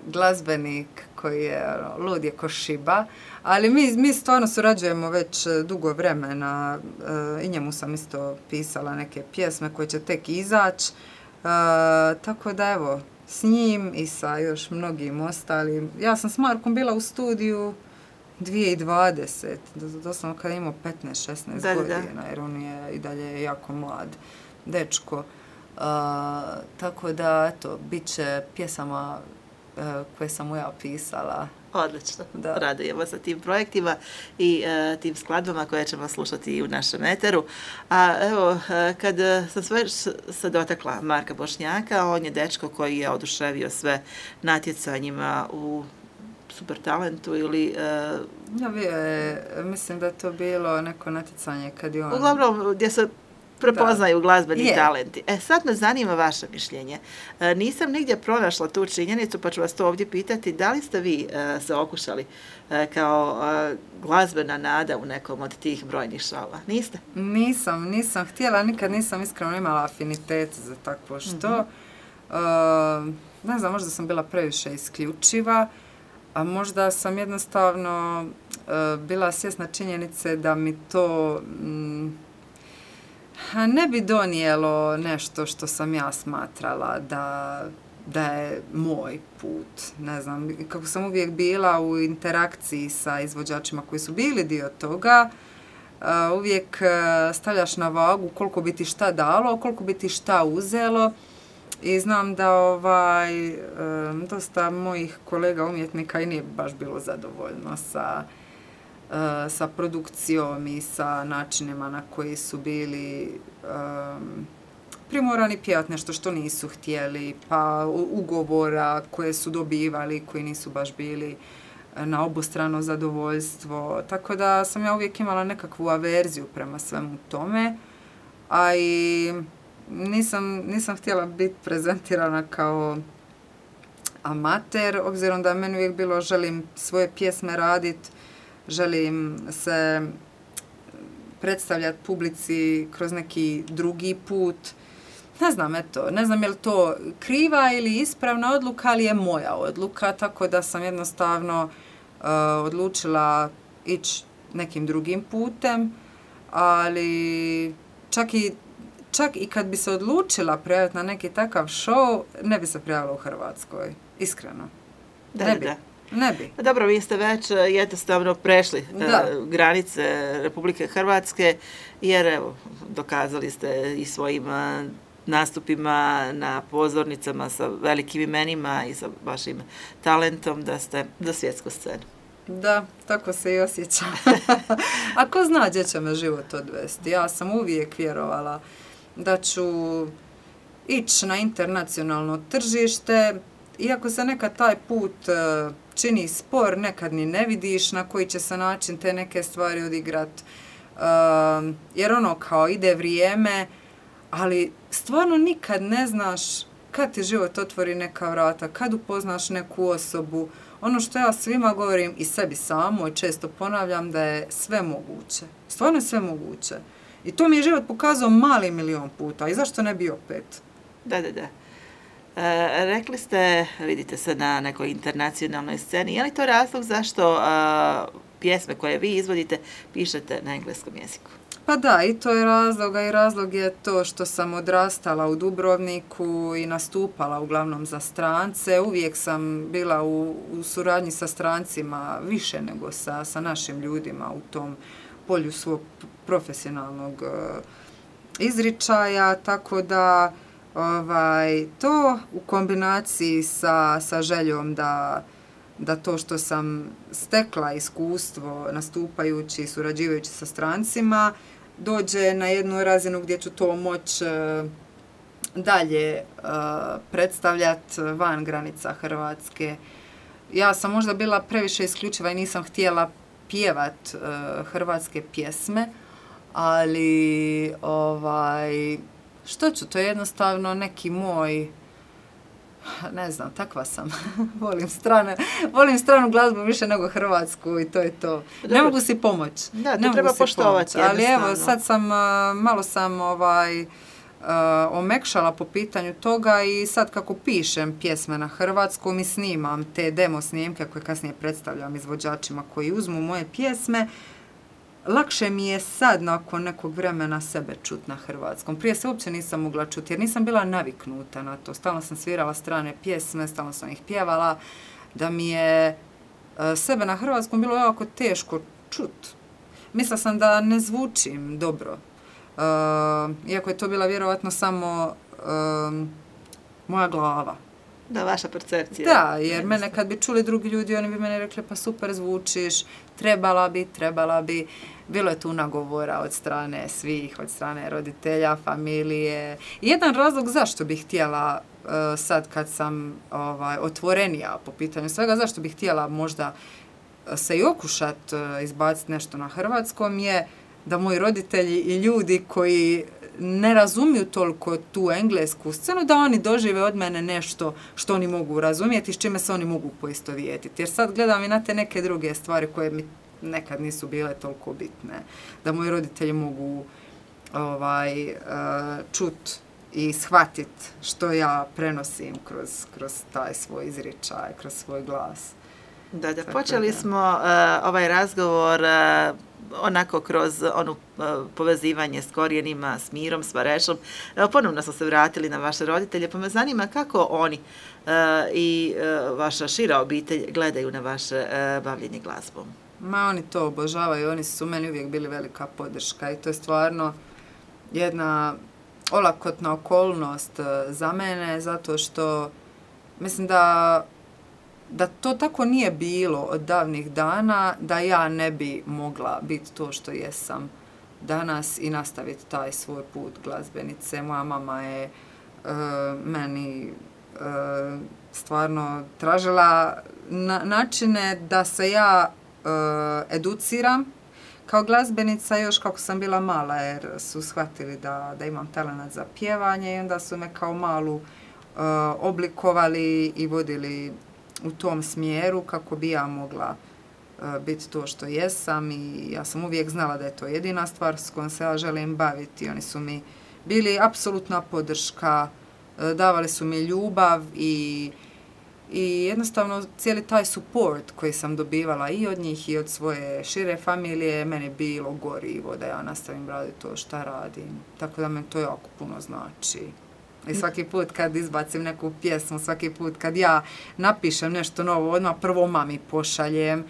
glazbenik koji je lud je ko šiba, ali mi stvarno surađujemo već dugo vremena i njemu sam isto pisala neke pjesme koje će tek izaći, tako da evo, s njim i sa još mnogim ostalim. Ja sam s Markom bila u studiju 2020, doslovno kada je imao 15-16 godina, jer on je i dalje jako mlad dečko. Tako da, eto, bit će pjesama koje sam mu ja pisala. Odlično, radujemo sa tim projektima i tim skladbama koje ćemo slušati i u našem eteru. A evo, kad sam sve se dotakla Marka Bošnjaka, on je dečko koji je oduševio sve natjecanjima u Super talentu ili... mislim da je to bilo neko natjecanje kad je on... Uglavnom, gdje se prepoznaju glazbeni talenti. Sad me zanima vaše mišljenje. Nisam nigdje pronašla tu činjenicu, pa ću vas to ovdje pitati. Da li ste vi se okušali kao glazbena nada u nekom od tih brojnih šova? Niste? Nisam htjela, nikad nisam iskreno imala afinitet za takvo što. Ne znam, možda sam bila previše isključiva, a možda sam jednostavno bila svjesna činjenice da mi to ne bi donijelo nešto što sam ja smatrala da je moj put. Ne znam, kako sam uvijek bila u interakciji sa izvođačima koji su bili dio toga, uvijek stavljaš na vagu koliko bi ti šta dalo, koliko bi ti šta uzelo. I znam da dosta mojih kolega umjetnika i nije baš bilo zadovoljno sa produkcijom i sa načinima na koji su bili primorani pjevati nešto što nisu htjeli, pa ugovora koje su dobivali koji nisu baš bili na obostrano zadovoljstvo. Tako da sam ja uvijek imala nekakvu averziju prema svemu tome, a i nisam htjela biti prezentirana kao amater, obzirom da je meni uvijek bilo želim svoje pjesme raditi, želim se predstavljati publici kroz neki drugi put. Ne znam je li to kriva ili ispravna odluka, ali je moja odluka, tako da sam jednostavno odlučila ići nekim drugim putem, ali čak i kad bi se odlučila prijaviti na neki takav show, ne bi se prijavila u Hrvatskoj, iskreno. Ne bi. Dobro, vi ste već jednostavno prešli granice Republike Hrvatske, jer evo, dokazali ste i svojim nastupima na pozornicama sa velikim imenima i sa vašim talentom da ste za svjetsku scenu. Da, tako se i osjećam. A ko zna gdje će me život odvesti? Ja sam uvijek vjerovala da ću ići na internacionalno tržište, iako se nekad taj put čini spor, nekad ni ne vidiš na koji će se način te neke stvari odigrat. Jer kao ide vrijeme, ali stvarno nikad ne znaš kad ti život otvori neka vrata, kad upoznaš neku osobu. Ono što ja svima govorim i sebi samo i često ponavljam da je sve moguće. Stvarno je sve moguće. I to mi je život pokazao mali milion puta. I zašto ne bi opet? Da. Rekli ste, vidite se na nekoj internacionalnoj sceni. Je li to razlog zašto pjesme koje vi izvodite pišete na engleskom jeziku? Pa da, i to je razlog, i razlog je to što sam odrastala u Dubrovniku i nastupala uglavnom za strance. Uvijek sam bila u suradnji sa strancima više nego sa našim ljudima u tom polju svog profesionalnog izričaja, tako da to u kombinaciji sa željom da to što sam stekla iskustvo nastupajući i surađivajući sa strancima dođe na jednu razinu gdje ću to moći dalje predstavljati van granica Hrvatske. Ja sam možda bila previše isključiva i nisam htjela pjevat hrvatske pjesme, ali što ću, to je jednostavno neki moj, ne znam, takva sam. Volim stranu glazbu više nego hrvatsku i to je to. Dobro. Ne mogu si pomoći. Da, to treba poštovati. Ali evo, sad sam, malo sam omekšala po pitanju toga i sad kako pišem pjesme na hrvatskom i snimam te demo snimke koje kasnije predstavljam izvođačima koji uzmu moje pjesme, lakše mi je sad nakon nekog vremena sebe čut na hrvatskom. Prije se uopće nisam mogla čuti jer nisam bila naviknuta na to. Stalno sam svirala strane pjesme, stalno sam ih pjevala, da mi je sebe na hrvatskom bilo jako teško čut. Mislila sam da ne zvučim dobro. Iako je to bila vjerovatno samo moja glava. Da, vaša percepcija. Da, jer mene kad bi čuli drugi ljudi, oni bi mene rekli pa super zvučiš, trebala bi. Bilo je tu nagovora od strane svih, od strane roditelja, familije. I jedan razlog zašto bih htjela sad kad sam otvorenija po pitanju svega, zašto bih htjela možda se i okušat izbaciti nešto na hrvatskom je da moji roditelji i ljudi koji ne razumiju toliko tu englesku scenu, da oni dožive od mene nešto što oni mogu razumjeti, s čime se oni mogu poistovjetiti. Jer sad gledam i na te neke druge stvari koje mi nekad nisu bile toliko bitne. Da moji roditelji mogu čut i shvatit što ja prenosim kroz taj svoj izričaj, kroz svoj glas. Da, počeli smo ovaj razgovor onako kroz ono povezivanje s korijenima, s Mirom, s Varešom. Ponovno smo se vratili na vaše roditelje, pa me zanima kako oni i vaša šira obitelj gledaju na vaše bavljenje glazbom. Oni to obožavaju, oni su meni uvijek bili velika podrška i to je stvarno jedna olakotna okolnost za mene, zato što mislim da to tako nije bilo od davnih dana, da ja ne bi mogla biti to što jesam danas i nastaviti taj svoj put glazbenice. Moja mama je meni stvarno tražila načine da se ja educiram kao glazbenica još kako sam bila mala, jer su shvatili da imam talenat za pjevanje i onda su me kao malu oblikovali i vodili u tom smjeru kako bi ja mogla biti to što jesam i ja sam uvijek znala da je to jedina stvar s kojom se ja želim baviti. Oni su mi bili apsolutna podrška, davali su mi ljubav i jednostavno cijeli taj support koji sam dobivala i od njih i od svoje šire familije meni bilo gorivo da ja nastavim raditi to što radim. Tako da me to jako puno znači. I svaki put kad izbacim neku pjesmu, svaki put kad ja napišem nešto novo, odmah prvo mami pošaljem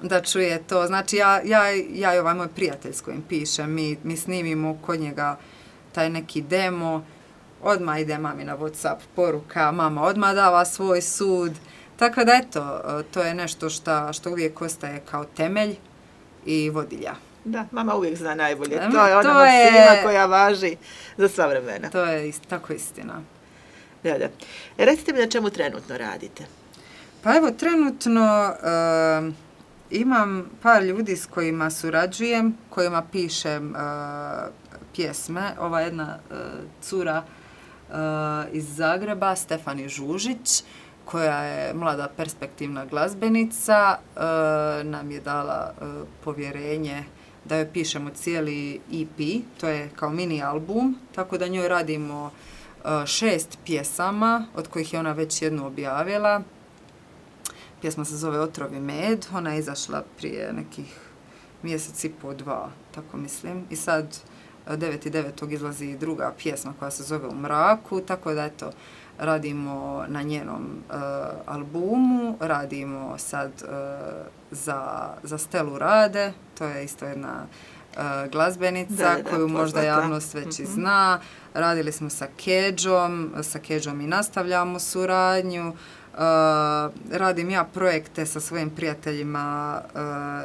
da čuje to. Znači ja i ovaj moj prijatelj s kojim pišem, mi snimimo kod njega taj neki demo, odmah ide mami na WhatsApp poruka, mama odmah dava svoj sud. Tako da eto, to je nešto što uvijek ostaje kao temelj i vodilja. Da, mama uvijek zna najbolje. To je ona maksima koja važi za sva vremena. To je tako istina. Da. Recite mi na čemu trenutno radite? Pa evo, trenutno imam par ljudi s kojima surađujem, kojima pišem pjesme. Ova jedna cura iz Zagreba, Stefani Žužić, koja je mlada perspektivna glazbenica, nam je dala povjerenje da joj pišemo cijeli EP, to je kao mini album, tako da njoj radimo 6 pjesama, od kojih je ona već jednu objavila. Pjesma se zove Otrovi med, ona je izašla prije nekih mjesec i po, 2, tako mislim. I sad 9.9. izlazi druga pjesma koja se zove U mraku, tako da eto, radimo na njenom albumu, radimo sad za Stelu Rade, to je isto jedna glazbenica koju možda javnost već i zna. Radili smo sa Keđom i nastavljamo suradnju. Radim ja projekte sa svojim prijateljima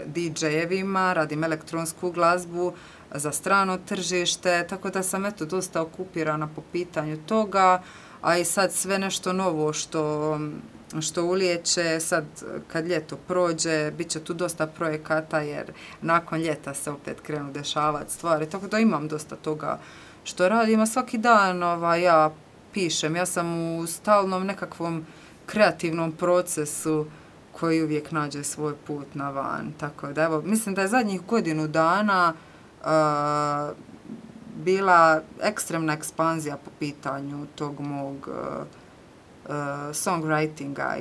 DJ-evima, radim elektronsku glazbu za strano tržište, tako da sam eto dosta okupirana po pitanju toga, a i sad sve nešto novo što ulijeće, sad kad ljeto prođe, bit će tu dosta projekata jer nakon ljeta se opet krenu dešavati stvari, tako da imam dosta toga što radim, a svaki dan ja pišem, ja sam u stalnom nekakvom kreativnom procesu koji uvijek nađe svoj put na van, tako da evo, mislim da je zadnjih godinu dana bila ekstremna ekspanzija po pitanju tog mog songwritinga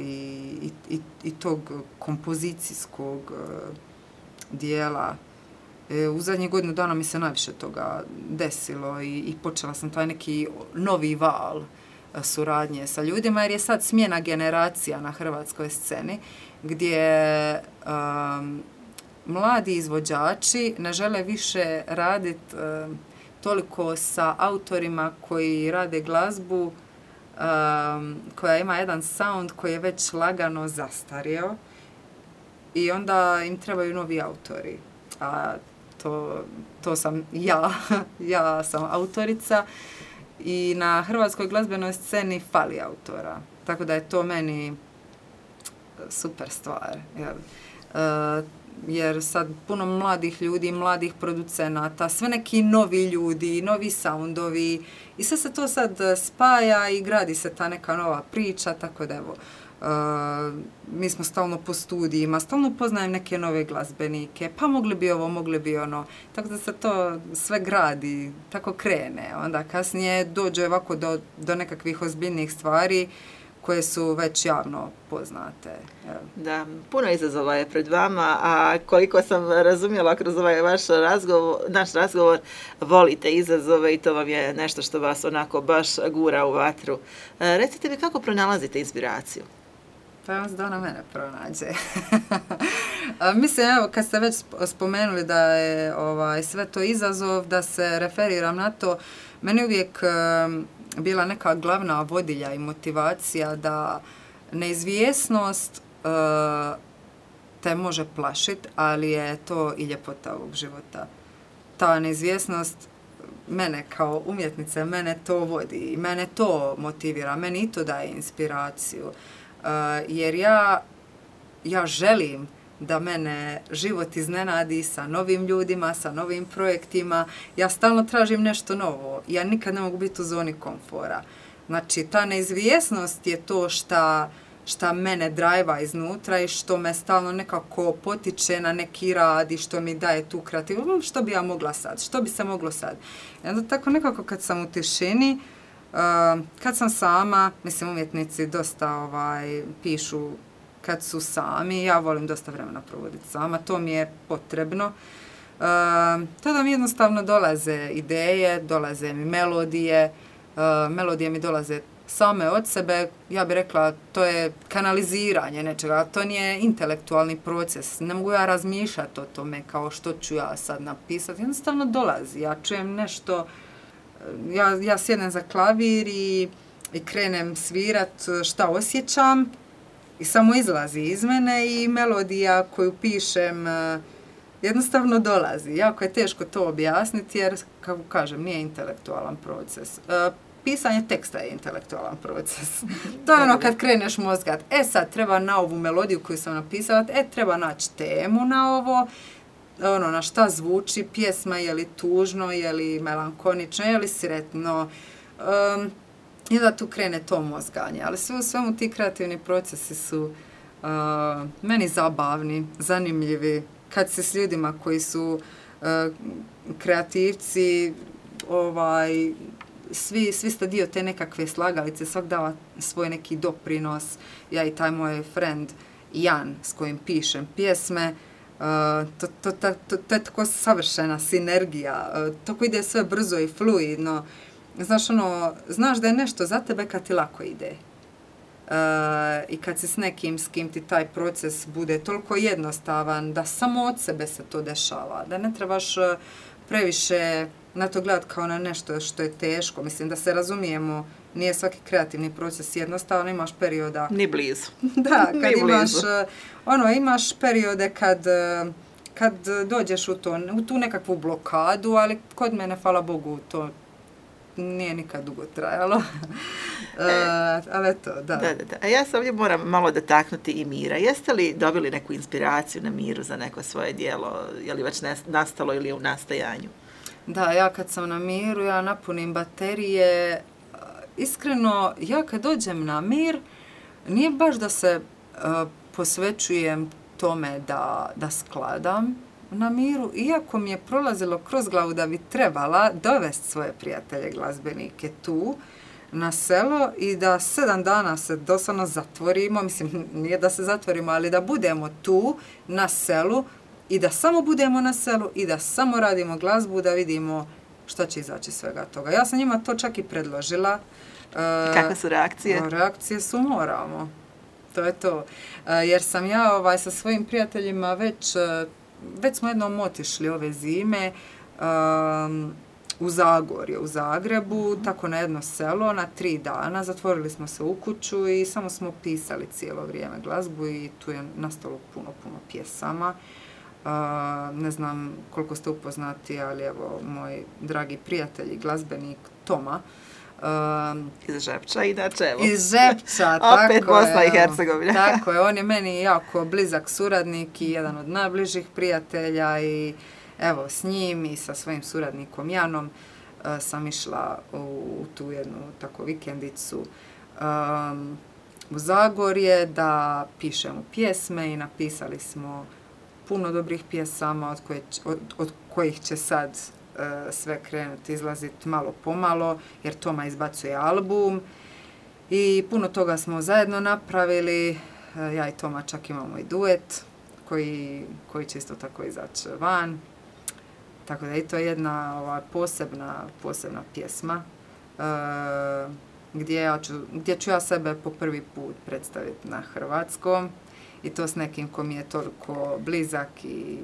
i tog kompozicijskog dijela. U zadnjih godinu dana mi se najviše toga desilo i počela sam taj neki novi val suradnje sa ljudima, jer je sad smjena generacija na hrvatskoj sceni, gdje mladi izvođači ne žele više raditi toliko sa autorima koji rade glazbu koja ima jedan sound koji je već lagano zastario i onda im trebaju novi autori. A to sam ja, ja sam autorica i na hrvatskoj glazbenoj sceni fali autora. Tako da je to meni super stvar. Jer sad puno mladih ljudi, mladih producenata, sve neki novi ljudi, novi soundovi i sve se to sad spaja i gradi se ta neka nova priča, tako da evo, mi smo stalno po studijima, stalno upoznajem neke nove glazbenike, pa mogli bi ovo, mogli bi ono. Tako da se to sve gradi, tako krene. Onda kasnije dođe ovako do nekakvih ozbiljnih stvari koje su već javno poznate. Evo. Da, puno izazova je pred vama, a koliko sam razumjela kroz ovaj naš razgovor, volite izazove i to vam je nešto što vas onako baš gura u vatru. Recite mi kako pronalazite inspiraciju? Pa vas da ona mene pronađe. Mislim, evo, kad ste već spomenuli da je sve to izazov, da se referiram na to, meni uvijek bila neka glavna vodilja i motivacija da neizvjesnost te može plašiti, ali je to i ljepota ovog života. Ta neizvjesnost mene kao umjetnice, mene to vodi i mene to motivira, meni i to daje inspiraciju. Jer ja želim da mene život iznenadi sa novim ljudima, sa novim projektima. Ja stalno tražim nešto novo. Ja nikad ne mogu biti u zoni komfora. Znači, ta neizvjesnost je to šta mene drajva iznutra i što me stalno nekako potiče na neki rad i što mi daje tu kreativu. Što bi ja mogla sad? Što bi se moglo sad? I onda tako nekako kad sam u tišini, kad sam sama, mislim umjetnici dosta pišu kad su sami, ja volim dosta vremena provoditi sama, to mi je potrebno. Tada mi jednostavno dolaze ideje, dolaze mi melodije mi dolaze same od sebe, ja bih rekla to je kanaliziranje nečega, to nije intelektualni proces, ne mogu ja razmišljati o tome kao što ću ja sad napisati, jednostavno dolazi, ja čujem nešto, ja sjednem za klavir i krenem svirat šta osjećam i samo izlazi iz mene i melodija koju pišem jednostavno dolazi. Jako je teško to objasniti jer, kako kažem, nije intelektualan proces. Pisanje teksta je intelektualan proces. To je ono kad kreneš mozgat. Sad treba na ovu melodiju koju sam napisala, treba naći temu na ovo, na šta zvuči pjesma, je li tužno, je li melankonično, je li sretno. I da tu krene to mozganje. Ali sve u svemu ti kreativni procesi su meni zabavni, zanimljivi. Kad se s ljudima koji su kreativci, svi ste dio te nekakve slagalice, svak dava svoj neki doprinos. Ja i taj moj friend Jan s kojim pišem pjesme, to je tako savršena sinergija, tako ide sve brzo i fluidno. Znaš da je nešto za tebe kad ti lako ide. I kad si s nekim s kim ti taj proces bude toliko jednostavan da samo od sebe se to dešava, da ne trebaš previše na to gledati kao na nešto što je teško. Mislim da se razumijemo, nije svaki kreativni proces jednostavan, imaš perioda... Ni blizu. Da, kad imaš periode kad dođeš u tu nekakvu blokadu, ali kod mene, hvala Bogu, to nije nikad dugo trajalo. Ali eto, da. A ja se ovdje moram malo dotaknuti i Mira. Jeste li dobili neku inspiraciju na Miru za neko svoje djelo? Je li već nastalo ili je u nastajanju? Da, ja kad sam na Miru, ja napunim baterije. Iskreno, ja kad dođem na Mir, nije baš da se posvećujem tome da skladam na Miru, iako mi je prolazilo kroz glavu da bi trebala dovesti svoje prijatelje glazbenike tu na selo i da 7 dana se doslovno zatvorimo, mislim nije da se zatvorimo, ali da budemo tu na selu i da samo budemo na selu i da samo radimo glazbu, da vidimo što će izaći svega toga. Ja sam njima to čak i predložila. Kakve su reakcije? Reakcije su moramo. To je to. Jer sam ja sa svojim prijateljima već smo jednom otišli ove zime u Zagorje, u Zagrebu, tako na jedno selo, na 3 dana. Zatvorili smo se u kuću i samo smo pisali cijelo vrijeme glazbu i tu je nastalo puno pjesama. Ne znam koliko ste upoznati, ali evo, moj dragi prijatelj i glazbenik Toma, iz Žepča, inače, evo. Iz Žepča, tako opet Bosna i Hercegovina. Tako je, on je meni jako blizak suradnik i jedan od najbližih prijatelja i evo, s njim i sa svojim suradnikom Janom sam išla u tu jednu tako vikendicu u Zagorje, da pišemo pjesme i napisali smo puno dobrih pjesama od kojih će sad sve krenuti izlaziti malo pomalo, jer Toma izbacuje album i puno toga smo zajedno napravili. Ja i Toma čak imamo i duet koji će isto tako izaći van. Tako da je to jedna posebna pjesma gdje ću ja sebe po prvi put predstaviti na hrvatskom i to s nekim ko mi je toliko blizak i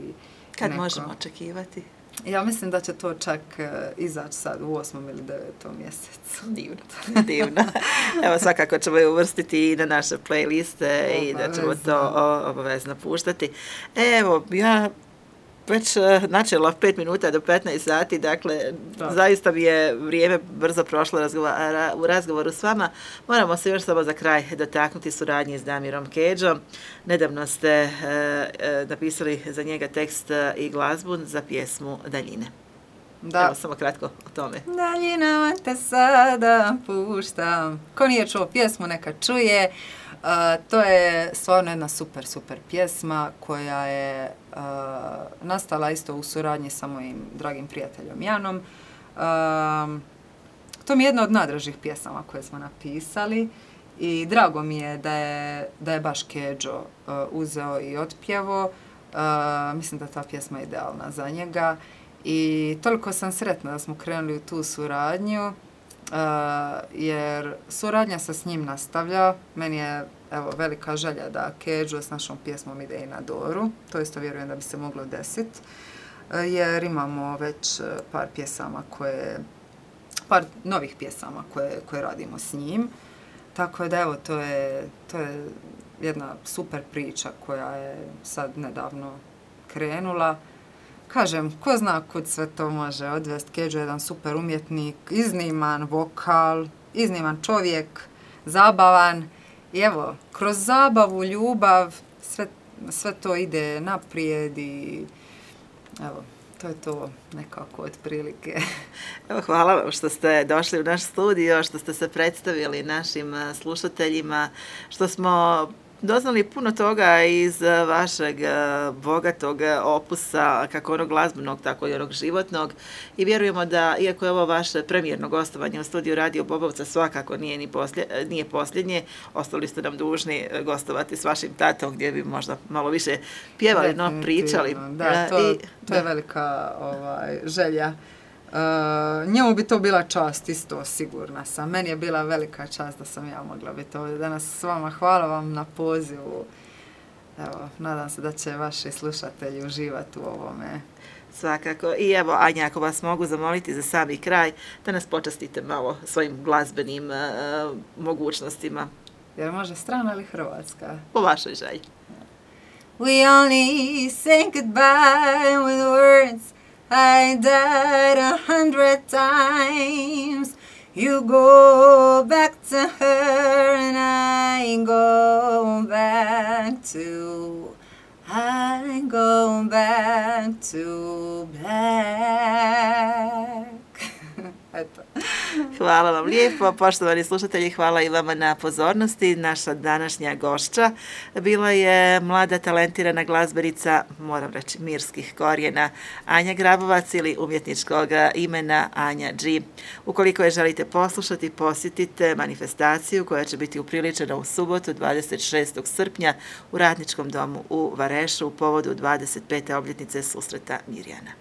Kad možemo očekivati? Ja mislim da će to čak izaći sad u 8. ili 9. mjesecu. Divno. Evo, svakako ćemo je uvrstiti i na naše playliste i da ćemo to obavezno puštati. Evo, ja već načela 5 minuta do 15 sati, dakle, zaista mi je vrijeme brzo prošlo u razgovoru s vama. Moramo se još samo za kraj dotaknuti suradnje s Damirom Kedžom. Nedavno ste napisali za njega tekst i glazbu za pjesmu Daljine. Da. Evo, samo kratko o tome. Daljinama te sada puštam. Ko nije čuo pjesmu, neka čuje. To je stvarno jedna super pjesma koja je nastala isto u suradnji sa mojim dragim prijateljom Janom. To mi je jedna od najdražih pjesama koje smo napisali i drago mi je da je baš Kedžo uzeo i otpjevo. Mislim da ta pjesma je idealna za njega i toliko sam sretna da smo krenuli u tu suradnju. Jer suradnja se s njim nastavlja. Meni je velika želja da Kedžo s našom pjesmom ide i na Doru. To isto vjerujem da bi se moglo desiti. Jer imamo već par novih pjesama koje radimo s njim. Tako da evo, to je jedna super priča koja je sad nedavno krenula. Kažem, ko zna kud sve to može odvesti. Kedžo je jedan super umjetnik, izniman vokal, izniman čovjek, zabavan. I evo, kroz zabavu, ljubav, sve to ide naprijed i evo, to je to nekako otprilike. Evo, hvala vam što ste došli u naš studio, što ste se predstavili našim slušateljima, što smo doznali puno toga iz vašeg bogatog opusa, kako onog glazbenog, tako i onog životnog. I vjerujemo da, iako je ovo vaše premijerno gostovanje u studiju Radio Bobovca, svakako nije posljednje. Ostali ste nam dužni gostovati s vašim tatom, gdje bi možda malo više pjevali, no pričali. Da, to je velika želja. Njemu bi to bila čast isto, sigurna sam. Meni je bila velika čast da sam ja mogla biti ovdje danas s vama. Hvala vam na pozivu. Evo, nadam se da će vaši slušatelji uživati u ovome. Svakako. I evo, Anja, ako vas mogu zamoliti za sami kraj, da nas počastite malo svojim glazbenim mogućnostima. Jer može strana ili hrvatska? Po vašoj želji. We only say goodbye with words. I died 100 times. You go back to her and I go back to black. Eto. Hvala vam lijepo, poštovani slušatelji, hvala i vama na pozornosti. Naša današnja gošća bila je mlada talentirana glazbenica, moram reći mirskih korijena, Anja Grabovac ili umjetničkog imena Anja G. Ukoliko je želite poslušati, posjetite manifestaciju koja će biti upriličena u subotu 26. srpnja u Radničkom domu u Varešu u povodu 25. obljetnice susreta Mirjana.